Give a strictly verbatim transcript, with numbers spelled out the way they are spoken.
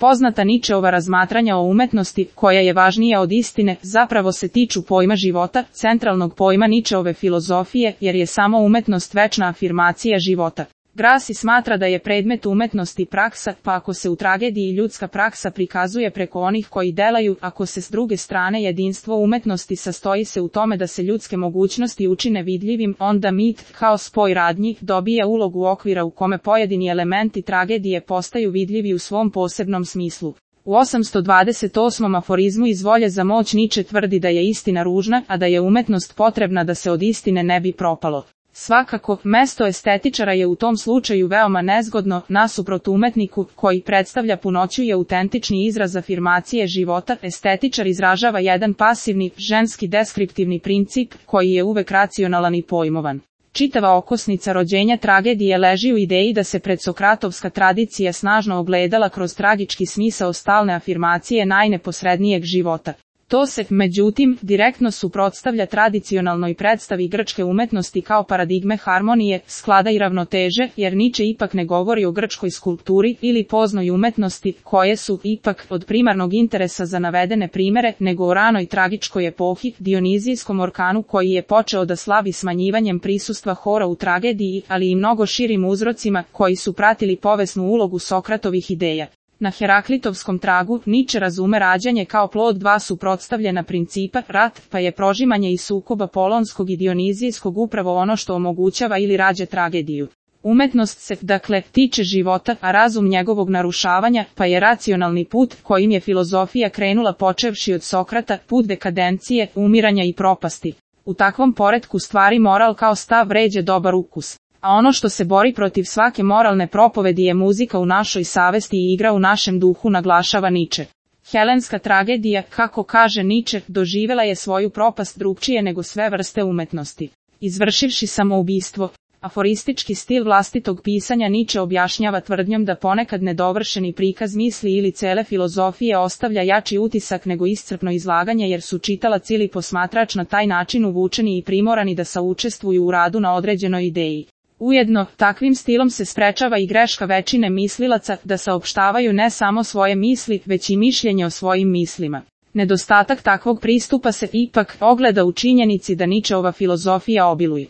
Poznata Ničeova razmatranja o umetnosti, koja je važnija od istine, zapravo se tiču pojma života, centralnog pojma Ničeove filozofije, jer je samo umetnost večna afirmacija života. Grassi smatra da je predmet umetnosti praksa, pa ako se u tragediji ljudska praksa prikazuje preko onih koji delaju, ako se s druge strane jedinstvo umetnosti sastoji se u tome da se ljudske mogućnosti učine vidljivim, onda mit, kao spoj radnji, dobija ulogu okvira u kome pojedini elementi tragedije postaju vidljivi u svom posebnom smislu. U osamsto dvadeset osmom aforizmu iz Volje za moć Niče tvrdi da je istina ružna, a da je umetnost potrebna da se od istine ne bi propalo. Svakako, mesto estetičara je u tom slučaju veoma nezgodno, nasuprot umetniku, koji predstavlja punoću i autentični izraz afirmacije života. Estetičar izražava jedan pasivni, ženski deskriptivni princip, koji je uvek racionalan i pojmovan. Čitava okosnica rođenja tragedije leži u ideji da se predsokratovska tradicija snažno ogledala kroz tragički smisao stalne afirmacije najneposrednijeg života. To se, međutim, direktno suprotstavlja tradicionalnoj predstavi grčke umetnosti kao paradigme harmonije, sklada i ravnoteže, jer Niče ipak ne govori o grčkoj skulpturi ili poznoj umetnosti, koje su, ipak, od primarnog interesa za navedene primere, nego o ranoj tragičkoj epohi, dionizijskom orkanu koji je počeo da slavi smanjivanjem prisustva hora u tragediji, ali i mnogo širim uzrocima, koji su pratili povesnu ulogu Sokratovih ideja. Na Heraklitovskom tragu, Niče razume rađanje kao plod dva suprotstavljena principa, rat, pa je prožimanje i sukoba polonskog i dionizijskog upravo ono što omogućava ili rađa tragediju. Umetnost se, dakle, tiče života, a razum njegovog narušavanja, pa je racionalni put, kojim je filozofija krenula počevši od Sokrata, put dekadencije, umiranja i propasti. U takvom poretku stvari moral kao stav vređa dobar ukus. A ono što se bori protiv svake moralne propovedi je muzika u našoj savesti i igra u našem duhu, naglašava Niče. Helenska tragedija, kako kaže Niče, doživjela je svoju propast drugčije nego sve vrste umetnosti. Izvršivši samoubistvo, aforistički stil vlastitog pisanja Niče objašnjava tvrdnjom da ponekad nedovršeni prikaz misli ili cele filozofije ostavlja jači utisak nego iscrpno izlaganje, jer su čitalac ili posmatrač na taj način uvučeni i primorani da saučestvuju u radu na određenoj ideji. Ujedno, takvim stilom se sprečava i greška većine mislilaca da saopštavaju ne samo svoje misli, već i mišljenje o svojim mislima. Nedostatak takvog pristupa se ipak ogleda u činjenici da Ničeova filozofija obiluje